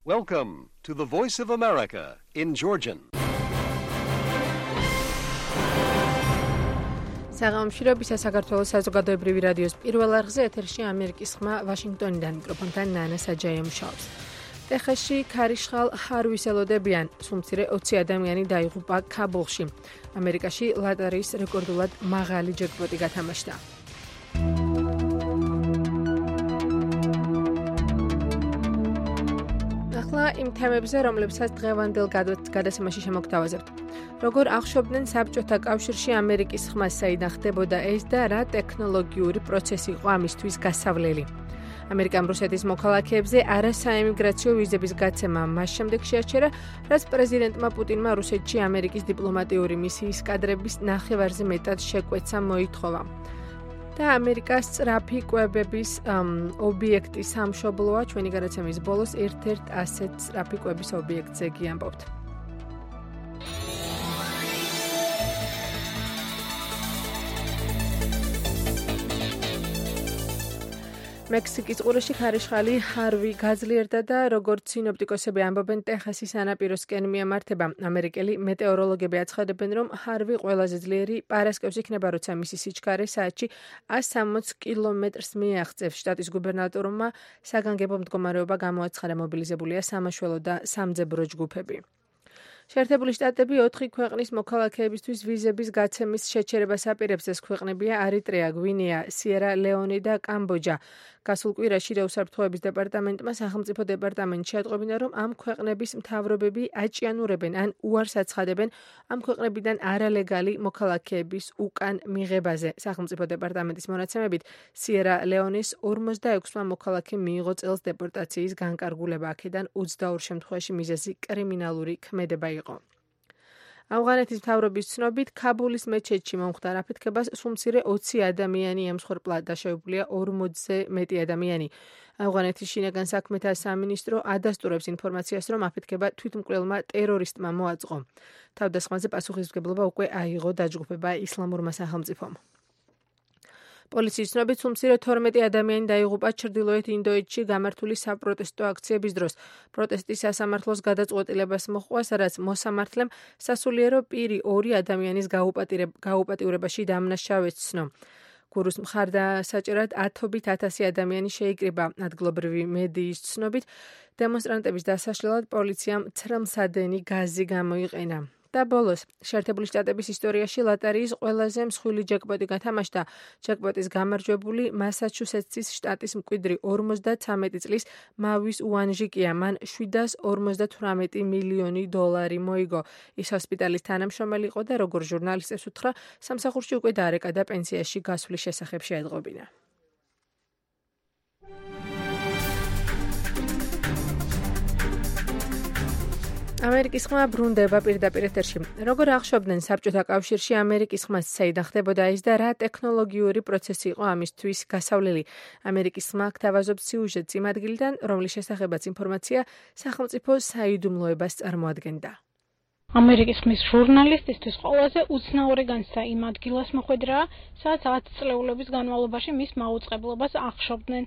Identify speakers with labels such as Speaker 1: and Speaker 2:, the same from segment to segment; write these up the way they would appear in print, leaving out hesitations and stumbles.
Speaker 1: Welcome to the Voice of America in Georgian.
Speaker 2: საღამოშრობისა საქართველოს საზოგადოებრივი რადიოს პირველ არხზე ეთერში ამერიკის ხმა ვაშინგტონიდან მიკროფონთან ნანა საჯაია მუშაობს. ტეხასში ქარიშხალ ჰარვის ელოდებიან, სულ მცირე 20 ადამიანი დაიღუპა ქაბულში. ამერიკაში ლოტარიის რეკორდულად მაღალი ჯეკპოტი გათამაშდა. ახლა იმ თემებზე, რომლებსაც დღევანდელ გადაცემაში შემოგთავაზებთ. როგორ აღშობდნენ საბჭოთა კავშირში ამერიკის ხმა საიდან ხდებოდა ეს და რა ტექნოლოგიური პროცესი იყო ამისთვის გასავლელი. ამერიკამ რუსეთის მოქალაქეებზე არასაემიგრაციო ვიზების გაცემა მას შემდეგ შეაჩერა, რაც პრეზიდენტმა პუტინმა რუსეთში ამერიკის დიპლომატიური მისიის კადრების ნახევარზე მეტად შეკვეცა მოითხოვა. და ამერიკას სწრაფი კვებების ობიექტი სამშობლოა, ჩვენი გადაცემის ბოლოს ერთ-ერთ ასეთ სწრაფი კვების ობიექტზე გიამბობთ. მექსიკის ყურეში ქარიშხალი ჰარვი გაძლიერდა და როგორც სინოპტიკოსები ამბობენ, ტეხასის სანაპიროსკენ მიემართება. ამერიკელი მეტეოროლოგები აცხადებენ, რომ ჰარვი ყველაზე ძლიერი პარასკევს იქნება, როცა მისი სიჩქარე საათში 160 კილომეტრს მიაღწევს. შტატის გუბერნატორმა საგანგებო მდგომარეობა გამოაცხადა, მობილიზებულია სამაშველო და სამძებრო ჯგუფები. შეერთებული შტატები 4 ქვეყნის მოქალაქეებისთვის ვიზების გაცემის შეჩერებას აპირებს. ეს ქვეყნებია ერიტრეა, გვინეა, სიერა ლეონე და კამბოჯა. გასულ კვირაში უსაფრთხოების დეპარტამენტმა სახელმწიფო დეპარტამენტში ატყობინა, რომ ამ ქვეყნების მთავრობები აჭიანურებენ ან უარს აცხადებენ ამ ქვეყნებიდან არალეგალი მოქალაქეების უკან მიღებაზე. სახელმწიფო დეპარტამენტის მონაცემებით სიერა ლეონეს 46-მა მოქალაქემ მიიღო წელს დეპორტაციის განკარგულება. აქედან 22 შემთხვევაში მიზეზი კრიმინალური ქმედება იყო. ავღანეთის მთავრობის ცნობით, ქაბულის მეჩეთში მომხდარ აფეთქებას სულ მცირე 20 ადამიანი ემსხვერპლა, დაშავებულია 40-ზე მეტი ადამიანი. ავღანეთის შინაგან საქმეთა სამინისტრო ადასტურებს ინფორმაციას, რომ აფეთქება თვითმკვლელმა ტერორისტმა მოაწყო. თავდასხმაზე პასუხისმგებლობა უკვე აიღო დაჯგუფება ისლამურმა სახელმწიფომ. პოლიციის ცნობით, სულ მცირე 12 ადამიანი დაიღუპა ჩრდილოეთ ინდოეთში გამართული საპროტესტო აქციების დროს. პროტესტი სასამართლოს გადაწყვეტილებას მოჰყვა, სადაც მოსამართლემ სასულიერო პირი 2 ადამიანის გაუპატიურებაში დამნაშავეს ცნო. გურუს მხარდასაჭერად ათობით 1000 ადამიანი შეიკრიბა. ადგილობრივი მედიის ცნობით, დემონსტრანტების დასაშლელად პოლიციამ ცრემლსადენი გაზი გამოიყენა. და ბოლოს, შეერთებული შტატების ისტორიაში ლოტარიის ყველაზე მსხვილი ჯეკპოტი გათამაშდა. ჯეკპოტის გამარჯვებული მასაჩუსეტსის შტატის მკვიდრი 53 წლის მავის უანჟიკია. მან $758 მილიონი მოიგო. ის ჰოსპიტალის თანამშრომელი იყო და როგორც ჟურნალისტებს უთხრა, სამსახურში უკვე დაარეკა და პენსიაში გასვლის შესახებ შეეტყობინა. ამერიკის ხმა ბრუნდება პირდაპირ ეთერში. როგორ აღშობდნენ საბჭოთა კავშირში ამერიკის ხმას საიდან ხდებოდა ეს და რა ტექნოლოგიური პროცესი იყო ამისთვის გასავლელი. ამერიკის ხმა გთავაზობს სიუჟეტს იმ ადგილიდან, რომლის შესახებაც ინფორმაცია სახელმწიფო საიდუმლოებას წარმოადგენდა.
Speaker 3: ამერიკის ხმის ჟურნალისტისთვის ყველაზე უცნაური განცდა იმ ადგილას მოხვედრა, სადაც 10 წლეულების განმავლობაში მის მაუწყებლობას აღშობდნენ.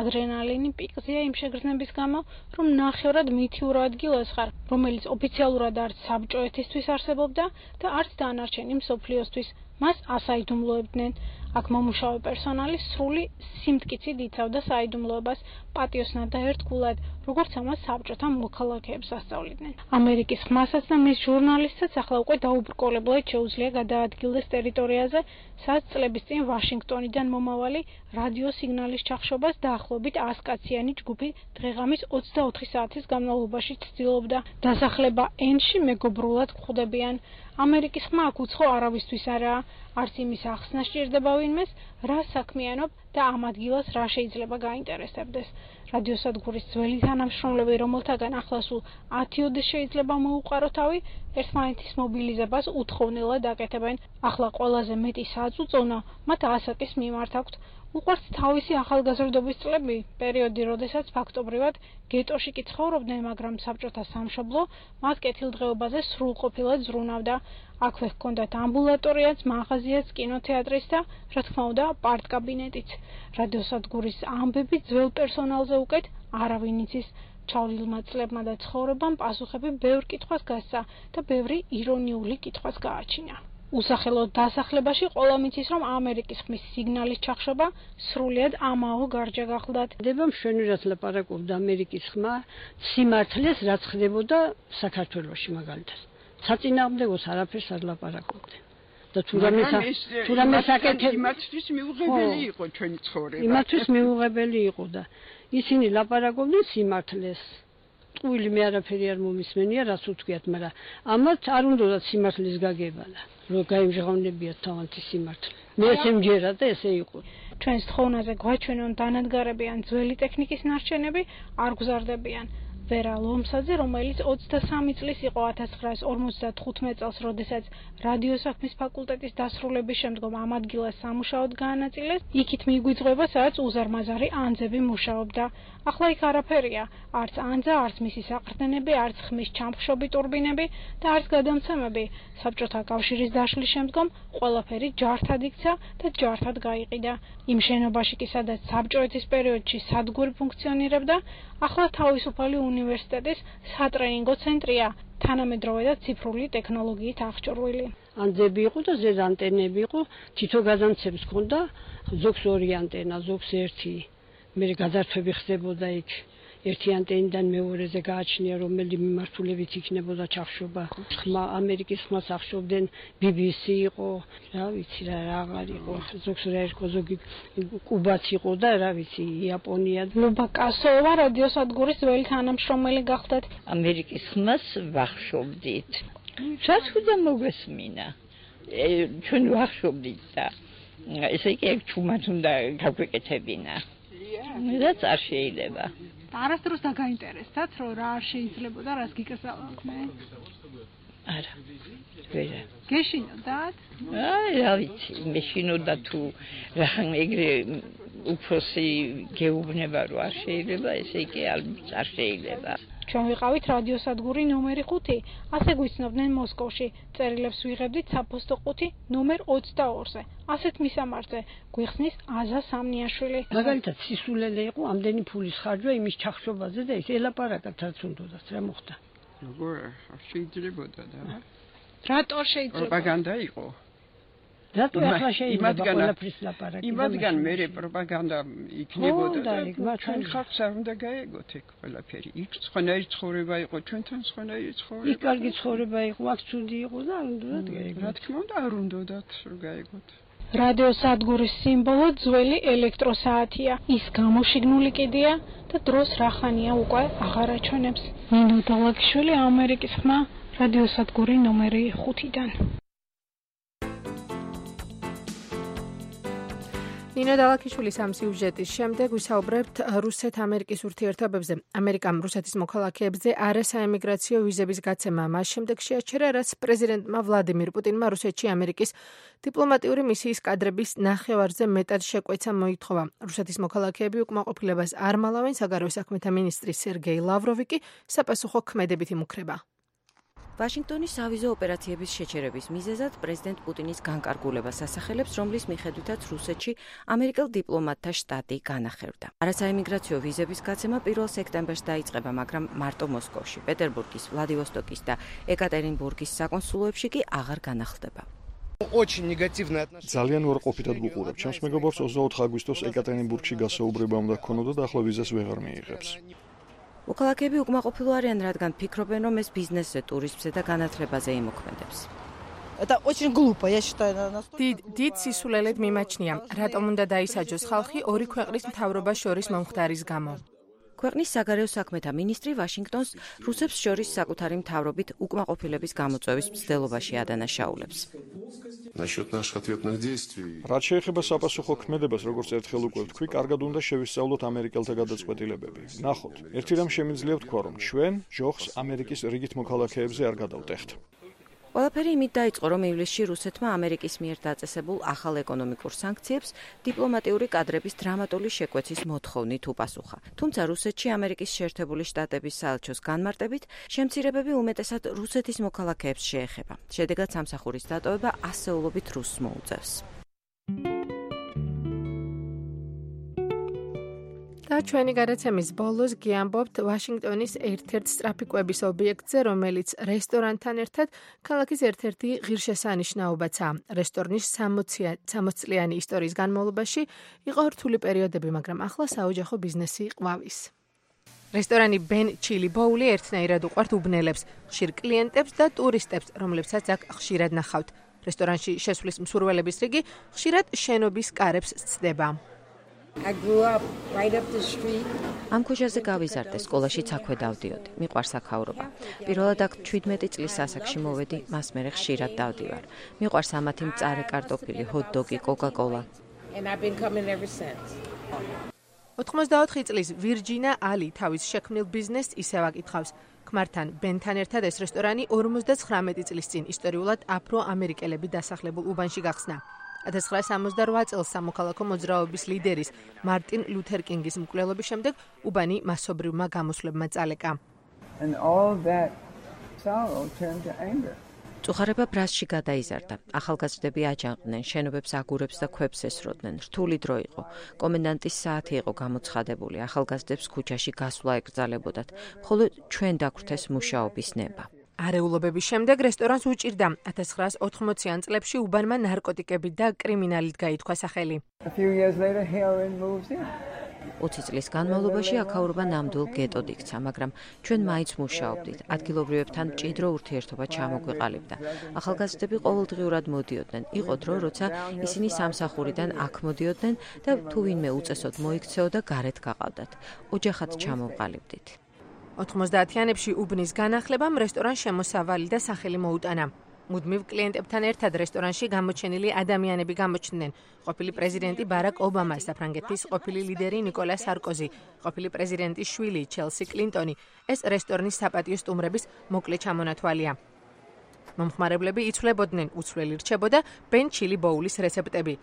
Speaker 3: ადრენალინი პიკზეა იმ შეგრძნების გამო, რომ ნახევრად მითიურ ადგილას ხარ, რომელიც ოფიციალურად არც საბჭოეთისთვის არსებობდა და არც დანარჩენი მსოფლიოსთვის. მას ასაიდუმლოებდნენ. აქ მომუშავე პერსონალი სრული სიმტკიცით იცავდა საიდუმლოებას პატიოსნად და ერთგულად, როგორც ამას საბჭოთა მოქალაქეებს ასწავლიდნენ. ამერიკის ხმასაც და მის ჟურნალისტსაც ახლა უკვე დაუბრკოლებლად შეუძლია გადაადგილდეს ტერიტორიაზე, სადაც წლების წინ ვაშინგტონიდან მომავალი რადიო სიგნალის ჩახშობას დაახლოებით 100 კაციანი ჯგუფი დღეღამის 24 საათის განმავლობაში ცდილობდა. დასახლება ენში მეგობრულად გვხვდებიან. ამერიკის ხმა აქ უცხო არავისთვის არაა, არც იმის ახსნა სჭირდება ვინმეს, რა საქმიანობ და ამ ადგილას რა შეიძლება გაინტერესებდეს. რადიოსადგურის ძველი თანამშრომლები, რომელთაგან ახლა სულ 10 შეიძლება მოუყარო თავი, ერთმანეთის მობილიზებას უთხოვნელად აკეთებენ. ახლა ყველაზე მეტი საწუწონა მათ ასაკის მიმართ აქვთ. უყვართ თავისი ახალგაზრდობის წლები, პერიოდი, როდესაც ფაქტობრივად გეტოში კი ცხოვრობდნენ, მაგრამ საბჭოთა სამშობლო მათ კეთილდღეობაზე სრულყოფილად ზრუნავდა. აქვე ჰქონდათ ამბულატორიაც, მაღაზიაც, კინოთეატრიც და, რა თქმა უნდა, პარტკაბინეტიც. რადიოსადგურის ამბები ძველ პერსონალზე უკეთ არავინ იცის. ჩავლილმა წლებმა და ცხოვრებამ პასუხები ბევრ კითხვას გასცა და ბევრი ირონიული კითხვას გააჩინა. უსახელო დასახლებაში ყველა მიცის, რომ ამერიკის ხმის სიგნალის ჩახშობა სრულიად ამაო გარჯა გახლდათ.
Speaker 4: ხდება მშვენივრად ლაპარაკობდა ამერიკის ხმა სიმართლეს, რაც ხდებოდა საქართველოში მაგალითად. საწინააღმდეგოს არაფერს არ ლაპარაკობდნენ. და თუ რამე საკეთებ
Speaker 5: იმათთვის მიუღებელი იყო ჩვენი ცხოვრება.
Speaker 4: იმათთვის მიუღებელი იყო და ისინი ლაპარაკობდნენ სიმართლეს. ტყუილი მე არაფერი არ მომისმენია, რაც უთქვიათ, მაგრამ ამათ არ უნდა სიმართლის გაგებალა, რომ გაიმჟღავნებიათ თავანთი სიმართლე. მე ესე მჯერა და ესე იყო.
Speaker 3: ჩვენს თხოვნაზე გვაჩვენონ დანადგარებიან ძველი ტექნიკის ნარჩენები, არ გზარდებიან. ვერა ლომსაძე, რომელიც 23 წლის იყო 1955 წელს, როდესაც რადიოსაქმის ფაკულტეტის დასრულების შემდგომ ამ ადგილას სამუშაოდ გაანაწილეს, იქით მიგვიძღვება, სადაც უზარმაზარი ანძები მუშაობდა. ახლა იქ არაფერია, არც ანძა, არც მისი საყრდენები, არც ხმის ჩამხშობი ტურბინები და არც გადამცემები. საბჭოთა კავშირის დაშლის შემდგომ ყველაფერი ჯართად იქცა და ჯართად გაიყიდა. იმ შენობაში კი, სადაც საბჭოეთის პერიოდში სადგური ფუნქციონირებდა, ახლა თავისუფალი უნივერსიტეტის სატრენინგო ცენტრია, თანამედროვე და ციფრული ტექნოლოგიით აღჭურვილი.
Speaker 4: ანძები იყო და ზედ ანტენები იყო, თითო გადამცემს ჰქონდა, ზოგს 2 ანტენა, ზოგს 1. მე გადართვები ხდებოდა იქ. ერთი ანტენიდან მეორეზე გააჩნია, რომელი მიმართულებით იქნებოდა ჩახშობა. ხმა ამერიკის ხმას ახშობდნენ, BBC იყო, რა ვიცი რა აღარ იყო. ზოგს რა იყო, ზოგი კუბაც იყო და რა ვიცი, იაპონია.
Speaker 3: ლუბა კასოვა რადიოსადგურის ძველი თანამშრომელი გახდათ.
Speaker 6: ამერიკის ხმას ვახშობდით. რაც უნდა მოგესმინა. ჩვენ ვახშობდით და ესე იგი ჩუმად უნდა გაგვეკეთებინა. რაც არ შეიძლება.
Speaker 3: არასდროს დაგაინტერესდათ, რომ რა არ შეიძლებოდა, რას გიკრძალავდნენ?
Speaker 6: არა. ვერა.
Speaker 3: გეშინოდათ?
Speaker 6: რა ვიცი, მეშინოდა თუ რახან ეგრე უფროსი გეუბნება, რომ არ შეიძლება, ესე იგი არ შეიძლება.
Speaker 3: ჩვენ ვიყავით რადიოსადგური ნომერი 5, ასე გვიცნობდნენ მოსკოვში. წერილებს ვიღებდით საფოსტო 5 ნომერ 22-ზე. ასეთ მისამართზე გვიხსნის აზა სამნიაშვილი.
Speaker 4: მაგალითად სისულელე იყო ამდენი ფულის ხარჯვა იმის ჩახშობაზე და ის ელაპარაკათ რაც უნდათ, რა მოხდა.
Speaker 5: როგორ შეიძლებოდა და
Speaker 3: რატო შეიძლება?
Speaker 5: პროპაგანდა იყო.
Speaker 4: რატო ახლა შეიძლება ყველაფრის ლაპარაკი?
Speaker 5: იმათგან მერე პროპაგანდა იქნებოდა და ჩვენ ხალხს არ უნდა გაეგოთ ეგ ყველაფერი. იქ სხვანაირი ცხოვრება იყო, ჩვენთან სხვანაირი ცხოვრება.
Speaker 4: იქ კარგი ცხოვრება იყო, აქ ცუდი იყო და არ უნდა გაეგოთ.
Speaker 5: რა თქმა უნდა არ უნდათ რომ გაეგოთ.
Speaker 3: რადიოსადგურის სიმბოლო ძველი ელექტროსაათია. ის გამოშიგნული კიდია და დროს რახანია უკვე აღარ აჩვენებს. ნინო დოლაკიშვილი, ამერიკის ხმა, რადიოსადგური ნომერი 5-დან.
Speaker 2: ნინო დალაქიშვილის ამ სიუჟეტის შემდეგ ვისაუბრებთ რუსეთ-ამერიკის ურთიერთობებზე. ამერიკამ რუსეთის მოქალაქეებზე არასაემიგრაციო ვიზების გაცემა მას შემდეგ შეაჩერა, რაც პრეზიდენტმა ვლადიმირ პუტინმა რუსეთში ამერიკის დიპლომატიური მისიის კადრების ნახევარზე მეტად შეკვეცა მოითხოვა. რუსეთის მოქალაქეები უკმაყოფილებას არ მალავენ, საგარეო საქმეთა მინისტრი სერგეი ლავროვი კი საპასუხო ქმედებით იმუქრება.
Speaker 7: ვაშინგტონის ავიზო ოპერაციების შეჩერების მიზეზად პრეზიდენტ პუტინის განკარგულებას ასახელებს, რომლის მიხედვითაც რუსეთში ამერიკელ დიპლომატთა შტატი განახერდა. არასაემიგრაციო ვიზების გაცემა 1 სექტემბერს დაიწყება, მაგრამ მარტო მოსკოვში, პეტერბურგის, ვლადივოსტოკის და ეკატერინბურგის საკონსულოებში კი აღარ განახლდება.
Speaker 8: ძალიან უარყოფითად ვუყურებ. ჩემს მეგობრებს 24 აგვისტოს ეკატერინბურგში გასაუბრება უნდა ქონოდა და ახლა ვიზას ვეღარ მიიღებს.
Speaker 7: მოქალაქეები უკმაყოფილო არიან, რადგან ფიქრობენ, რომ ეს ბიზნესზე, ტურიზმზე და განათლებაზე იმოქმედებს.
Speaker 2: დიდ სისულელედ მიმაჩნია, რატომ უნდა დაისაჯოს ხალხი ორი ქვეყნის მთავრობას შორის მომხდარის გამო.
Speaker 7: ქვეყნის საგარეო საქმეთა მინისტრი ვაშინგტონს რუსებს შორის საკუთარი მთავრობით უკმაყოფილების გამოწვევის მცდელობაში ადანაშაულებს.
Speaker 8: რაც შეეხება საპასუხო ქმედებას, როგორც ერთხელ უკვე ვთქვი, კარგად უნდა შევისწავლოთ ამერიკელთა გადაწყვეტილებები. ნახოთ, ერთი რამ შემიძლია ვთქვა, რომ ჩვენ ჯოხს ამერიკის რიგით მოქალაქეებზე არ გადავტეხთ.
Speaker 7: ყველაფერი იმით დაიწყო, რომ ივლისში რუსეთმა ამერიკის მიერ დაწესებულ ახალ ეკონომიკურ სანქციებს დიპლომატიური კადრების დრამატული შეკვეცის მოთხოვნით უპასუხა. თუმცა რუსეთში ამერიკის შეერთებული შტატების საელჩოს განმარტებით, შემცირებები უმეტესად რუსეთის მოქალაქეებს შეეხება. შედეგად სამსახურის დატოვება ასეულობით რუსს მოუწევს.
Speaker 2: და ჩვენი გადაცემის ბოლოს გიამბობთ ვაშინგტონის ერთ-ერთ სწრაფი კვების ობიექტზე, რომელიც რესტორანთან ერთად ქალაქის ერთ-ერთი ღირსშესანიშნაობაცაა. რესტორნის 60-წლიანი ისტორიის განმავლობაში იყო რთული პერიოდები, მაგრამ ახლა საოჯახო ბიზნესი ყვავის. რესტორანი Ben Chili Bowl-ი ერთნაირად უყვართ უბნელებს, ხშირ კლიენტებს და ტურისტებს, რომლებსაც აქ ხშირად ნახავთ. რესტორანში შესვლის მსურველების რიგი ხშირად შენობის კარებს სცდება.
Speaker 7: ამ ქუჩაზე გავიზარდე, სკოლაშიც აქვე დავდიოდი. მიყვარს აქაურობა. პირველად აქ 17 წლის ასაკში მოვედი, მას მერე ხშირად დავდივარ. მიყვარს ამათი მწარე კარტოფილი, ჰოთ-დოგი, კოკა-კოლა.
Speaker 2: 84 წლის ვირჯინა ალი თავის შექმნილ ბიზნესს ისევ აკითხავს. ქმართან ბენთან ერთად ეს რესტორანი 59 წლის წინ ისტორიულად აფრო-ამერიკელები დასახლებულ უბანში გახსნა. 1968 წელს სამოქალაქო მოძრაობის ლიდერის მარტინ ლუთერ კინგის მკვლელობის შემდეგ უბანი მასობრივმა გამოსვლებმა წალეკა.
Speaker 7: წუხარება ბრასში გადაიზარდა. ახალგაზრდები აჯანყდნენ, შენობებს აგურებს და ქვებს ესროდნენ. რთული დრო იყო. კომენდანტის საათი იყო გამოცხადებული. ახალგაზრდებს ქუჩაში გასვლა ეკრძალებოდათ. მხოლოდ ჩვენ დაგვრთეს მუშაობის ნება.
Speaker 2: არეულობების შემდეგ რესტორანს უჭირდა. 1980-იან წლებში უბანმა ნარკოტიკები და კრიმინალით გაითქვა სახელი.
Speaker 7: 20 წლის განმავლობაში აქაურობა ნამდვილ გეტოდ იქცა, მაგრამ ჩვენ მაინც მუშაობდით. ადგილობრივებთან მჭიდრო ურთიერთობა ჩამოგვეყალიბდა. ახალგაზრდები ყოველდღიურად მოდიოდნენ. იყო დრო, როცა ისინი სამსახურიდან აქ მოდიოდნენ და თუ ვინმე უწესოდ მოიქცეოდა, გარეთ გაყავდათ. ოჯახად ჩამოვყალიბდით.
Speaker 2: 90-იანებში უბნის განახლებამ რესტორანს შემოსავალი და სახელი მოუტანა. მუდმივ კლიენტებთან ერთად რესტორანში გამოჩენილი ადამიანები გამოჩნდნენ. ყოფილი პრეზიდენტი ბარაკ ობამა, საფრანგეთის ყოფილი ლიდერი ნიკოლა სარკოზი, ყოფილი პრეზიდენტის შვილი ჩელსი კლინტონი. ეს რესტორნის საპატიო სტუმრების მოკლე ჩამონათვალია. მომხმარებლები იცვლებოდნენ, უცვლელი რჩებოდა Ben Chili Bowl-ის რეცეპტები.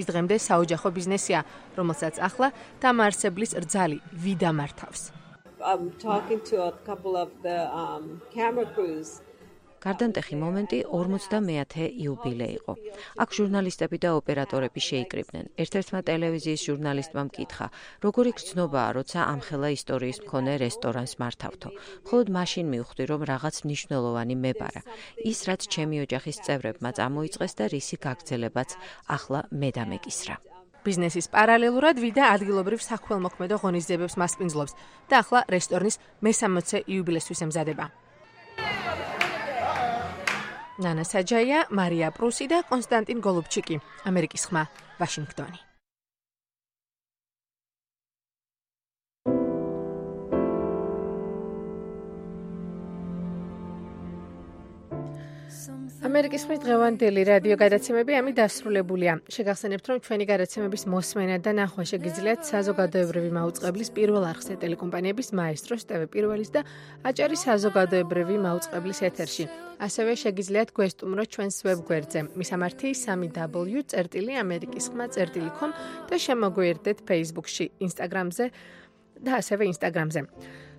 Speaker 2: ის დღემდე საოჯახო ბიზნესია, რომელსაც ახლა დამაარსებლის რძალი ვიდა მართავს.
Speaker 9: I'm talking to a couple of the camera crews.
Speaker 7: გარდამტეხი მომენტი 50-მე იუბილე იყო. აქ ჟურნალისტები და ოპერატორები შეიკრიბნენ. ერთ-ერთმა ტელევიზიის ჟურნალისტმა მკითხა, როგორი გრძნობაა, როცა ამხელა ისტორიის მქონე რესტორანს მართავთო. მხოლოდ მაშინ მივხვდი, რომ რაღაც მნიშვნელოვანი მებარა. ის, რაც ჩემი ოჯახის წევრებმა წამოიწყეს და რისი გაგრძელებაც ახლა მე დამეკისრა.
Speaker 2: ბიზნესის პარალელურად ვიდა ადგილობრივ საქველმოქმედო ღონისძიებებს მასპინძლობს და ახლა რესტორნის მე-60 იუბილესთვის ემზადება. ნანა საჯაია, მარია პრუსი და კონსტანტინ გოლუბჩიკი, ამერიკის ხმა, ვაშინგტონი. ამერიკის ხმის დღევანდელი რადიო გადაცემები ამით დასრულებულია. შეგახსენებთ, რომ ჩვენი გადაცემების მოსმენა და ნახვა შეგიძლიათ საზოგადოებრივი მაუწყებლის პირველ არხზე ტელეკომპანიების მაესტროს, TV პირველის და აჭარის საზოგადოებრივი მაუწყებლის ეთერში. ასევე შეგიძლიათ გვესტუმროთ ჩვენს ვებგვერდზე მისამართი 3w.amerikiskhma.com და შემოგვიერთდეთ Facebook-ში, Instagram-ზე და ასევე Instagram-ზე.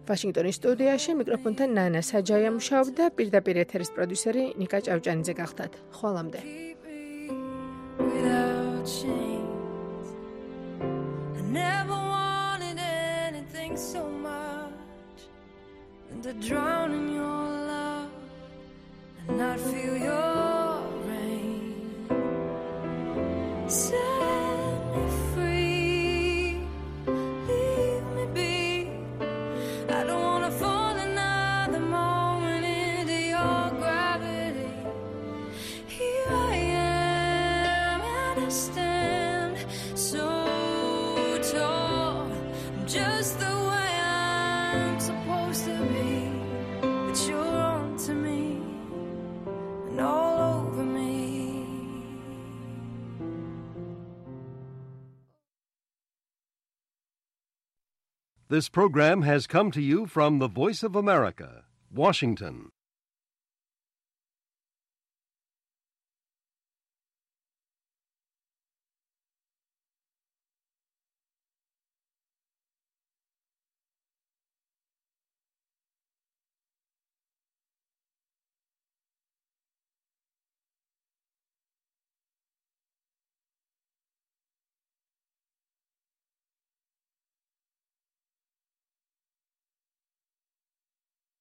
Speaker 2: ვაშინგტონის სტუდიაში მიკროფონთან ნანა საჯაია მუშაობდა, პირდაპირ ეთერის პროდიუსერი ნიკა ჭავჭანიძე გახდათ. ხვალამდე.
Speaker 1: This program has come to you from the Voice of America, Washington.